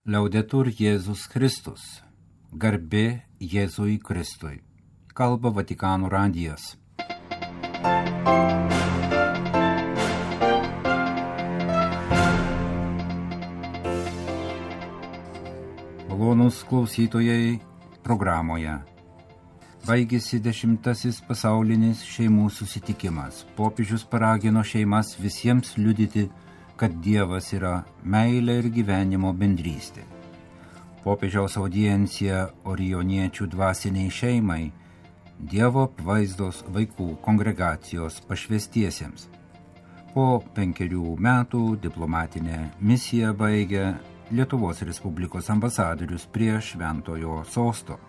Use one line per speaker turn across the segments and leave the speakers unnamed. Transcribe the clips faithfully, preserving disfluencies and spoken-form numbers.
Liaudetur Jėzus Kristus. Garbė Jėzui Kristui. Kalba Vatikano radijas. Malonūs klausytojai programoje. Baigėsi dešimtasis pasaulinis šeimų susitikimas. Popiežius paragino šeimas visiems liudyti, kad Dievas yra meilė ir gyvenimo bendrystė. Popiežiaus audiencija orijoniečių dvasiniai šeimai, Dievo apvaizdos vaikų kongregacijos pašvestiesiems. Po penkerių metų diplomatinę misiją baigė Lietuvos Respublikos ambasadorius prie Šventojo sosto.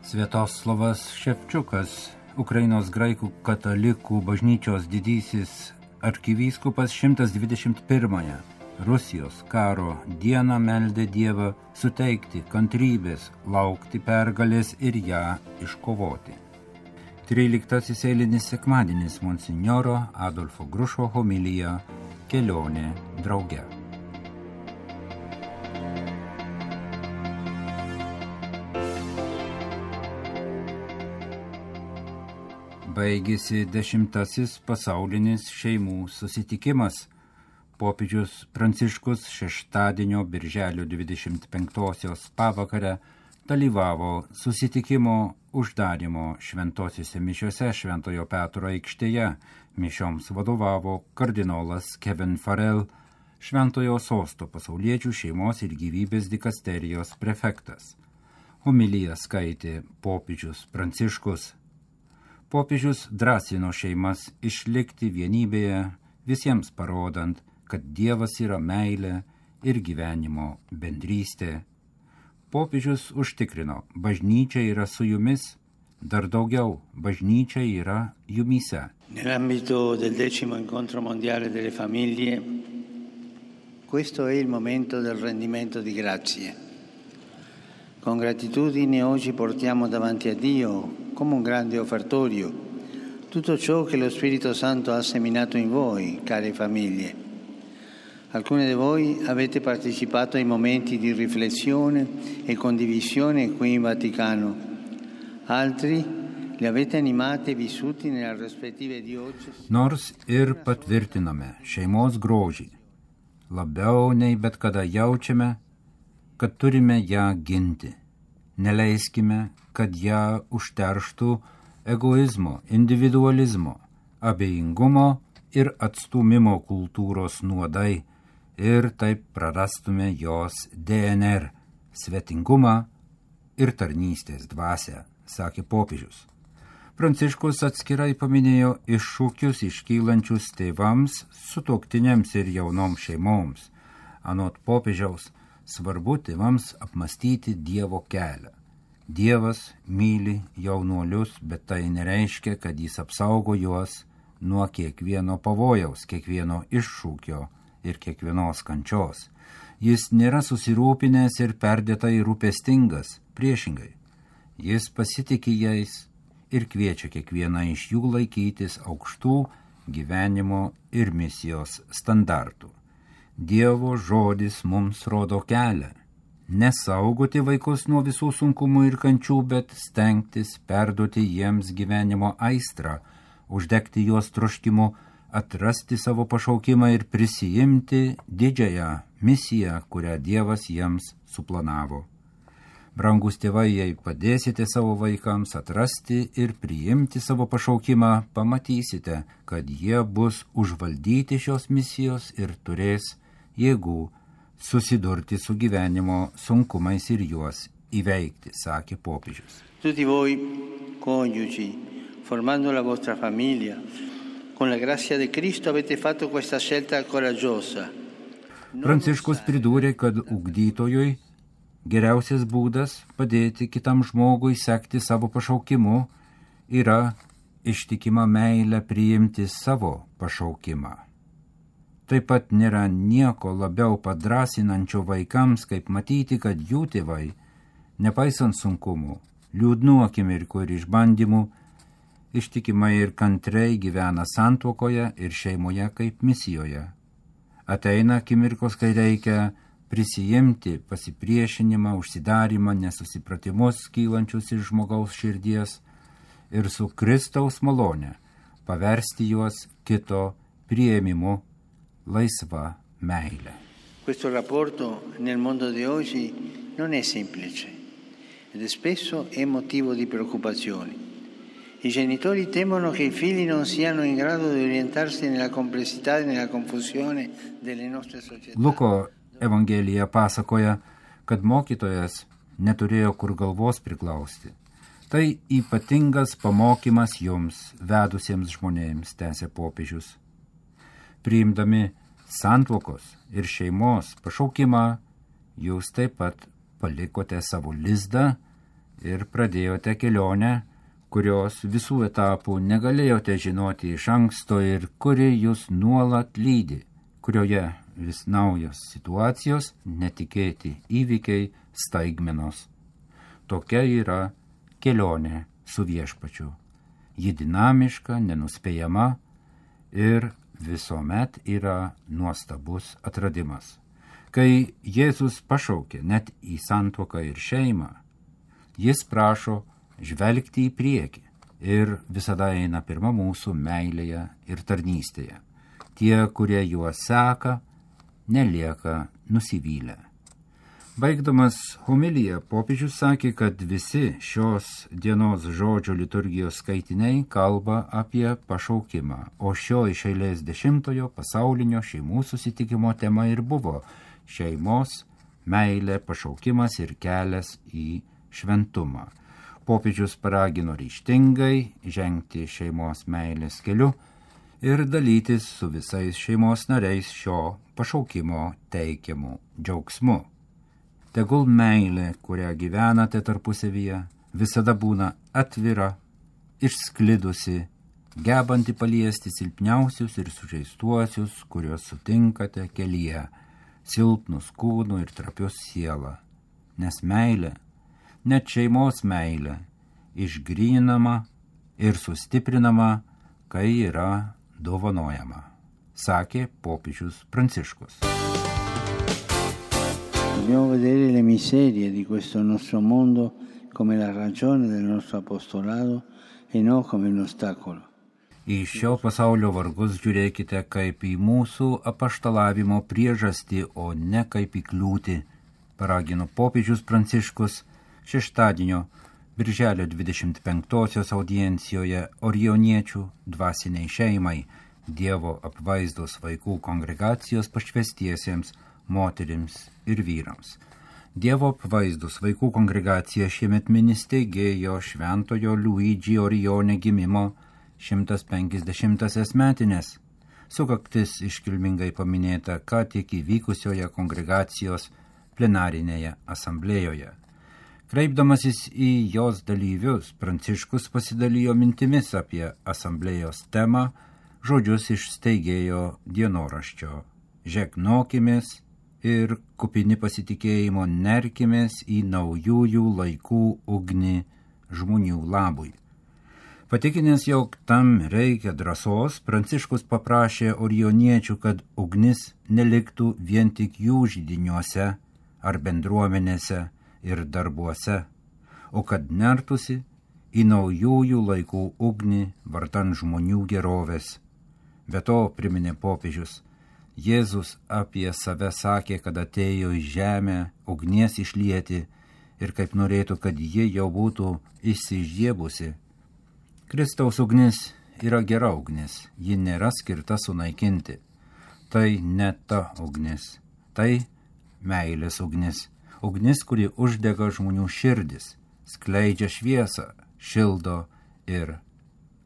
Sviatoslavas Ševčiukas, Ukrainos graikų katalikų bažnyčios didysis arkivyskupas šimtas dvidešimt pirmąją Rusijos karo dieną meldė Dievą suteikti kantrybės, laukti pergalės ir ją iškovoti. Tryliktasis eilinis sekmadienis monsinjoro Adolfo Grušo homilija Kelionė drauge. Baigėsi dešimtasis pasaulinis šeimų susitikimas. Popiežius Pranciškus šeštadienio birželio dvidešimt penktosios pavakarę dalyvavo susitikimo uždarymo šventosiuose mišiose Šventojo Petro aikštėje. Mišioms vadovavo kardinolas Kevin Farrell, Šventojo sosto pasauliečių šeimos ir gyvybės dikasterijos prefektas. Homiliją skaitė popiežius Pranciškus. Popiežius drąsino šeimas išlikti vienybėje, visiems parodant, kad Dievas yra meilė ir gyvenimo bendrystė. Popiežius užtikrino, bažnyčia yra su jumis, dar daugiau, bažnyčia yra jumyse.
Nell'ambito del decimo incontro mondiale delle famiglie, questo è il momento del rendimento di grazie. Con gratitudine oggi portiamo davanti a Dio, come un grande offertorio, tutto ciò che lo Spirito Santo ha seminato in voi, care famiglie. Alcune di voi avete partecipato ai momenti di riflessione e condivisione qui in Vaticano, altri li avete animati e vissuti nelle rispettive diocesi.
Nors ir patvirtiname šeimos grožį, labiau nei bet kada jaučiame, kad turime ją ginti. Neleiskime, kad ją užterštų egoizmo, individualizmo, abejingumo ir atstūmimo kultūros nuodai ir taip prarastume jos D N R, svetingumą ir tarnystės dvasią, sakė popiežius. Pranciškus atskirai paminėjo iššūkius iškylančius tėvams, sutuoktiniams ir jaunoms šeimoms. Anot popiežiaus, svarbu tėvams apmastyti Dievo kelią. Dievas myli jaunuolius, bet tai nereiškia, kad jis apsaugo juos nuo kiekvieno pavojaus, kiekvieno iššūkio ir kiekvienos kančios. Jis nėra susirūpinęs ir perdėtai rūpestingas, priešingai. Jis pasitiki jais ir kviečia kiekvieną iš jų laikytis aukštų gyvenimo ir misijos standartų. Dievo žodis mums rodo kelią. Nesaugoti vaikus nuo visų sunkumų ir kančių, bet stengtis perduoti jiems gyvenimo aistrą, uždegti juos troškimu, atrasti savo pašaukimą ir prisijimti didžiąją misiją, kurią Dievas jiems suplanavo. Brangus tėvai, jei padėsite savo vaikams atrasti ir priimti savo pašaukimą, pamatysite, kad jie bus užvaldyti šios misijos ir turės jėgų susidurti su gyvenimo sunkumais ir juos įveikti, sakė popiežius.
Tutti voi, coniugi, formando la vostra famiglia, con la grazia di Cristo avete fatto questa scelta coraggiosa.
Pranciškus pridūrė, kad ugdytojui geriausias būdas padėti kitam žmogui sekti savo pašaukimu yra ištikima meilė priimti savo pašaukimą. Taip pat nėra nieko labiau padrasinančio vaikams, kaip matyti, kad jų tėvai, nepaisant sunkumų, liūdnų akimirkų ir išbandymų, ištikimai ir kantriai gyvena santuokoje ir šeimoje kaip misijoje. Ateina akimirkos, kai reikia prisijimti pasipriešinimą, užsidarimą, nesusipratimus kylančius iš žmogaus širdies ir su Kristaus malone paversti juos kito priėmimu laisva meile.
Questo rapporto nel mondo di oggi non è semplice ed spesso è motivo di preoccupazioni. I genitori temono che i figli non siano in grado di orientarsi nella complessità e nella confusione delle nostre società.
Luko Evangelija pasakoja, kad mokytojas neturėjo kur galvos priklausti. Tai ypatingas pamokymas jums, vedusiems žmonėms, tęsė popiežius. Priimdami santuokos ir šeimos pašaukimą, jūs taip pat palikote savo lizdą ir pradėjote kelionę, kurios visų etapų negalėjote žinoti iš anksto ir kuri jūs nuolat lydi, kurioje vis naujos situacijos, netikėti įvykiai, staigmenos. Tokia yra kelionė su viešpačiu. Ji dinamiška, nenuspėjama ir visuomet yra nuostabus atradimas. Kai Jėzus pašaukė net į santuoką ir šeimą, jis prašo žvelgti į priekį ir visada eina pirma mūsų meilėje ir tarnystėje. Tie, kurie juo seka, nelieka nusivylę. Baigdamas homiliją, popiežius sakė, kad visi šios dienos žodžio liturgijos skaitiniai kalba apie pašaukimą, o šio iš eilės dešimtojo pasaulinio šeimų susitikimo tema ir buvo šeimos, meilė, pašaukimas ir kelias į šventumą. Popiežius paragino ryžtingai žengti šeimos meilės keliu ir dalytis su visais šeimos nariais šio pašaukimo teikiamu džiaugsmu. Tegul meilė, kurią gyvenate tarpusavyje, visada būna atvira, išsklidusi, gebanti paliesti silpniausius ir sužeistuosius, kuriuos sutinkate kelyje, silpnus kūnų ir trapius sielą. Nes meilė, net šeimos meilė, išgrynama ir sustiprinama, kai yra dovanojama, sakė popiežius Pranciškus.
Dobbiamo vedere le miserie di questo nostro mondo come la ragione del nostro apostolato e non come un ostacolo.
Į šio pasaulio vargus žiūrėkite kaip į mūsų apaštalavimo priežastį, o ne kaip į kliūtį, paragino popiežius Pranciškus šeštadienio birželio dvidešimt penktosios audiencijoje Orioniečių dvasiniai šeimai, Dievo apvaizdos vaikų kongregacijos pašvestiesiems moterims ir vyrams. Dievo apvaizdos vaikų kongregacija šiemet mini steigėjo šventojo Luigi Orione gimimo šimtas penkiasdešimtąsias metinės. Sukaktis iškilmingai paminėta ką tik įvykusioje kongregacijos plenarinėje asamblėjoje. Kreipdamasis į jos dalyvius, Pranciškus pasidalijo mintimis apie asamblėjos temą, žodžius iš steigėjo dienoraščio. Žegnokimės ir kupini pasitikėjimo nerkimės į naujųjų laikų ugnį žmonių labui. Patikinęs, jog tam reikia drąsos, Pranciškus paprašė orioniečių, kad ugnis neliktų vien tik jų židiniuose ar bendruomenėse ir darbuose, o kad nertusi į naujųjų laikų ugnį vardan žmonių gerovės. Be to, priminė popiežius, Jėzus apie save sakė, kad atėjo į žemę ugnies išlieti ir kaip norėtų, kad ji jau būtų išsižiebusi. Kristaus ugnis yra gera ugnis, ji nėra skirta sunaikinti. Tai ne ta ugnis, tai meilės ugnis. Ugnis, kuri uždega žmonių širdis, skleidžia šviesą, šildo ir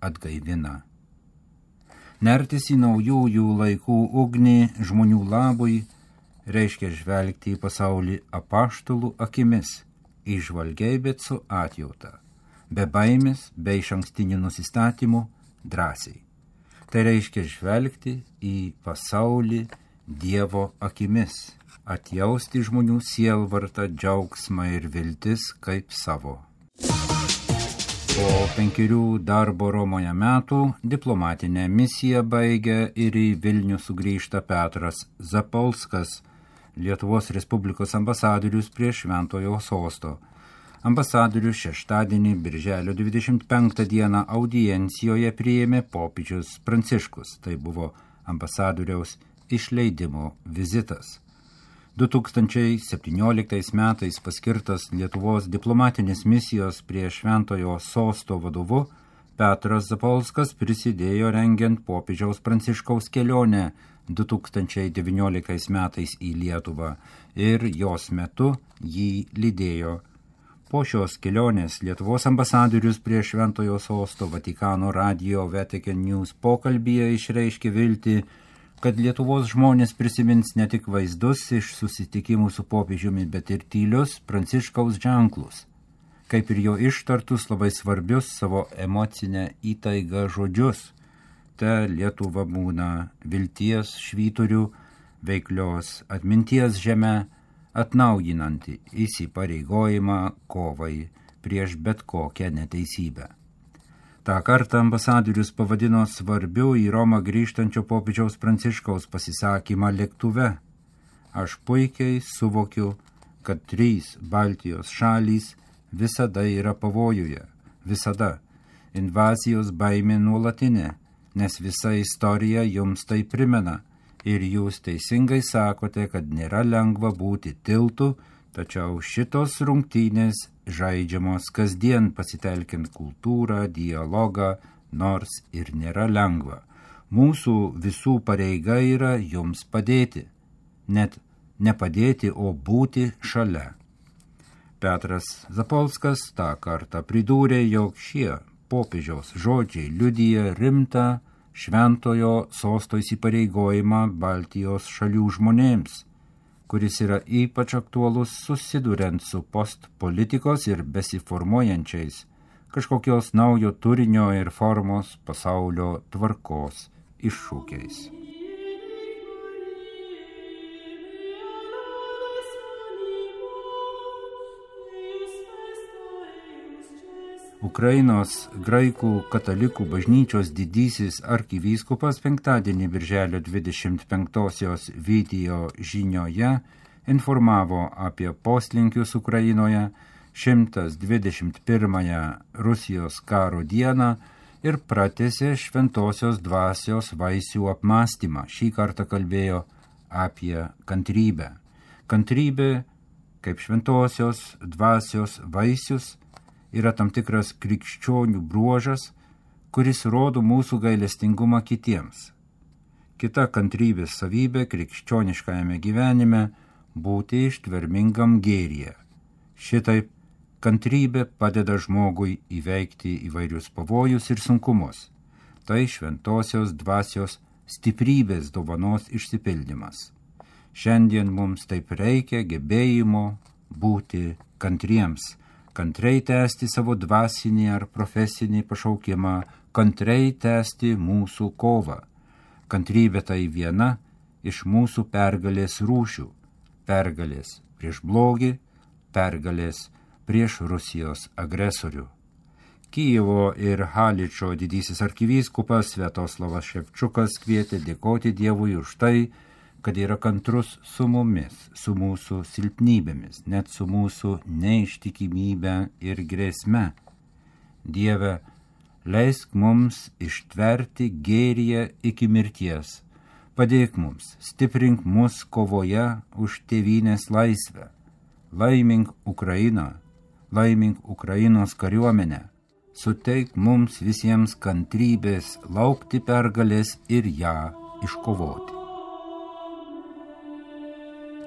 atgaivina. Nertis į naujųjų laikų ugnį žmonių labui reiškia žvelgti į pasaulį apaštalų akimis, įžvalgiai, bet su atjauta, be baimės, be išankstinių nusistatymų, drąsiai. Tai reiškia žvelgti į pasaulį Dievo akimis, atjausti žmonių sielvartą, džiaugsmą ir viltis kaip savo. Po penkerių darbo Romoje metų diplomatinę misiją baigė ir į Vilnių sugrįžta Petras Zapolskas, Lietuvos Respublikos ambasadorius prie Šventojo sosto. Ambasadorius šeštadienį, birželio dvidešimt penktą dieną audiencijoje priėmė popiežius Pranciškus. Tai buvo ambasadoriaus išleidimo vizitas. du tūkstančiai septynioliktais metais paskirtas Lietuvos diplomatinės misijos prie Šventojo sosto vadovu Petras Zapolskas prisidėjo rengiant popiežiaus Pranciškaus kelionę du tūkstančiai devynioliktais metais į Lietuvą ir jos metu jį lydėjo. Po šios kelionės Lietuvos ambasadorius prie Šventojo sosto Vatikano radijo Vatican News pokalbyje išreiškė viltį, kad Lietuvos žmonės prisimins ne tik vaizdus iš susitikimų su popiežiumi, bet ir tylius Pranciškaus ženklus, kaip ir jo ištartus labai svarbius savo emocinę įtaigą žodžius. Ta Lietuva būna vilties švyturių, veiklios atminties žeme, atnaujinanti įsipareigojimą kovai prieš bet kokią neteisybę. Ta kartą ambasadorius pavadino svarbiu į Romą grįžtančio popiežiaus Pranciškaus pasisakymą lėktuve. Aš puikiai suvokiu, kad trys Baltijos šalys visada yra pavojuje, visada. Invazijos baimė nuolatinė, nes visa istorija jums tai primena. Ir jūs teisingai sakote, kad nėra lengva būti tiltu, tačiau šitos rungtynės žaidžiamos kasdien pasitelkiant kultūrą, dialogą, nors ir nėra lengva. Mūsų visų pareiga yra jums padėti. Net ne padėti, o būti šalia. Petras Zapolskas tą kartą pridūrė, jog šie popiežiaus žodžiai liudija rimtą Šventojo sosto įsipareigojimą Baltijos šalių žmonėms, kuris yra ypač aktualus susiduriant su postpolitikos ir besiformuojančiais kažkokios naujo turinio ir formos pasaulio tvarkos iššūkiais. Ukrainos graikų katalikų bažnyčios didysis arkivyskupas penktadienį birželio dvidešimt penktosios video žinioje informavo apie poslinkius Ukrainoje šimtas dvidešimt pirmąją Rusijos karo dieną ir pratęsė šventosios dvasios vaisių apmąstymą. Šį kartą kalbėjo apie kantrybę. Kantrybė, kaip šventosios dvasios vaisius, yra tam tikras krikščionių bruožas, kuris rodo mūsų gailestingumą kitiems. Kita kantrybės savybė krikščioniškajame gyvenime būti ištvermingam gėryje. Šitaip kantrybė padeda žmogui įveikti įvairius pavojus ir sunkumus. Tai šventosios dvasios stiprybės dovanos išsipildymas. Šiandien mums taip reikia gebėjimo būti kantriems, kantrai tęsti savo dvasinį ar profesinį pašaukimą, kantrai tęsti mūsų kovą. Kantrybė tai viena iš mūsų pergalės rūšių. Pergalės prieš blogį, pergalės prieš Rusijos agresorių. Kijevo ir Haličo didysis arkivyskupas Sviatoslavas Ševčukas kvietė dėkoti Dievui už tai, kad yra kantrus su mumis, su mūsų silpnybėmis, net su mūsų neištikimybė ir grėsme. Dieve, leisk mums ištverti gėryje iki mirties. Padėk mums, stiprink mus kovoje už tėvynės laisvę. Laimink Ukrainą, laimink Ukrainos kariuomenę. Suteik mums visiems kantrybės laukti pergalės ir ją iškovoti.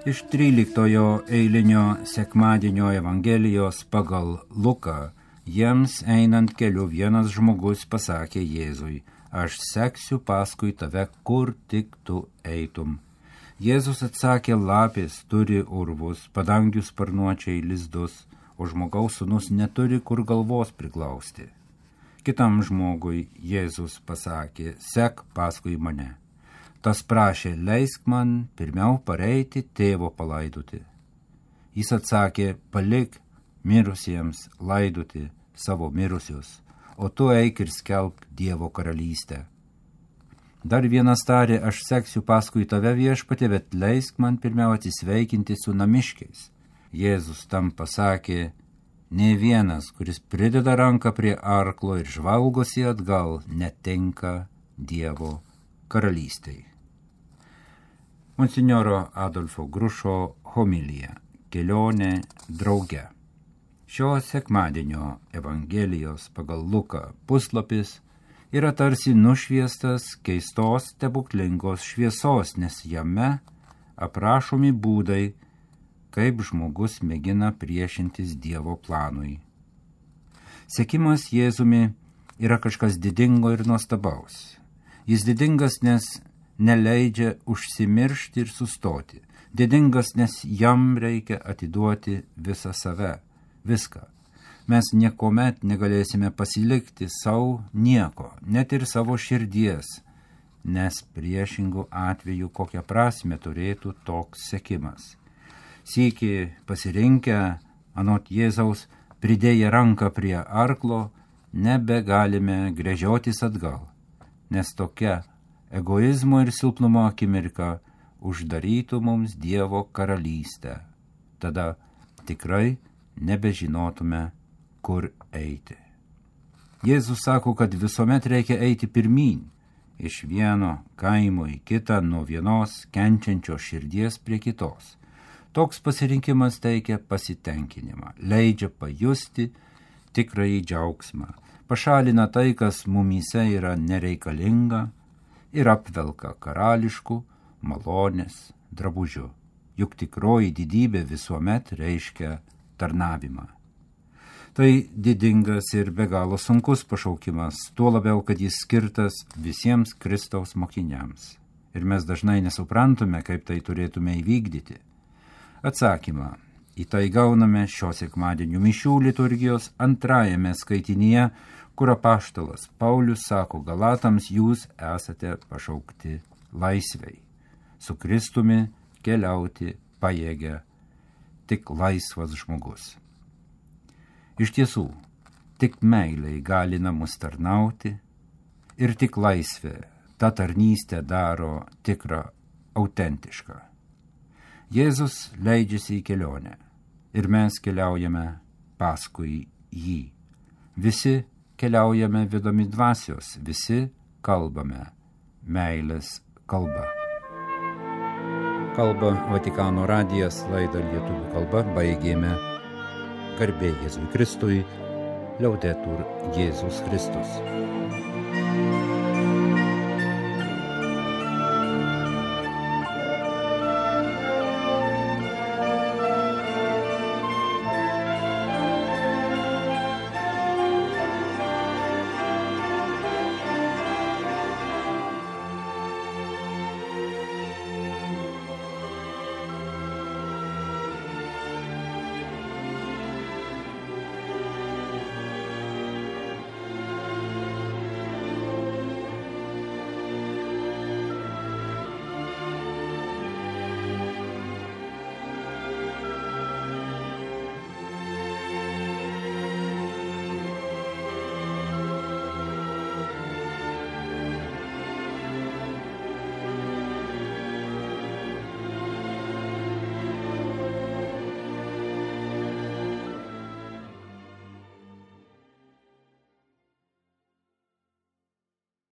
Iš tryliktojo eilinio sekmadienio Evangelijos pagal Luką jiems einant keliu vienas žmogus pasakė Jėzui, aš seksiu paskui tave, kur tik tu eitum. Jėzus atsakė, lapės turi urvus, padangių sparnuočiai lizdus, o žmogaus sūnus neturi kur galvos priglausti. Kitam žmogui Jėzus pasakė, sek paskui mane. Tas prašė, leisk man pirmiau pareiti tėvo palaidoti. Jis atsakė, palik mirusiems laidoti savo mirusius, o tu eik ir skelbk Dievo karalystę. Dar vienas tarė, aš seksiu paskui tave viešpatie, bet leisk man pirmiau atsisveikinti su namiškiais. Jėzus tam pasakė, nė vienas, kuris prideda ranką prie arklo ir žvalgosi atgal, netenka Dievo karalystei. Monsinjoro Adolfo Grušo homilija Kelionė drauge. Šio sekmadienio Evangelijos pagal Luką puslapis yra tarsi nušviestas keistos stebuklingos šviesos, nes jame aprašomi būdai, kaip žmogus mėgina priešintis Dievo planui. Sekimas Jėzumi yra kažkas didingo ir nuostabaus. Jis didingas, nes neleidžia užsimiršti ir sustoti. Didingas, nes jam reikia atiduoti visą save, viską. Mes niekuomet negalėsime pasilikti savo nieko, net ir savo širdies, nes priešingų atveju kokią prasmę turėtų toks sekimas. Sykį pasirinkę, anot Jėzaus, pridėję ranką prie arklo, nebegalime gręžiotis atgal, nes tokia egoizmo ir silpnumo akimirka uždarytų mums Dievo karalystę. Tada tikrai nebežinotume, kur eiti. Jėzus sako, kad visuomet reikia eiti pirmyn, iš vieno kaimo į kitą, nuo vienos kenčiančios širdies prie kitos. Toks pasirinkimas teikia pasitenkinimą, leidžia pajusti tikrąjį džiaugsmą, pašalina tai, kas mumyse yra nereikalinga ir apvelka karališku malonės drabužiu. Juk tikroji didybė visuomet reiškia tarnavimą. Tai didingas ir be galo sunkus pašaukimas, tuo labiau, kad jis skirtas visiems Kristaus mokiniams. Ir mes dažnai nesuprantame, kaip tai turėtume įvykdyti. Atsakymą į tai gauname šio sekmadienio mišių liturgijos antrajame skaitinyje, kur apaštalas Paulius sako Galatams, jūs esate pašaukti laisvei. Su Kristumi keliauti pajėgia tik laisvas žmogus. Iš tiesų, tik meilė įgalina mus tarnauti ir tik laisvė tą tarnystę daro tikrą, autentišką. Jėzus leidžiasi į kelionę ir mes keliaujame paskui jį. Visi keliaujame vedami dvasios, visi kalbame meilės kalba. Kalba Vatikano radijas, laidą lietuvių kalba baigėme. Garbė Jėzui Kristui, Liaudetur Jėzus Kristus.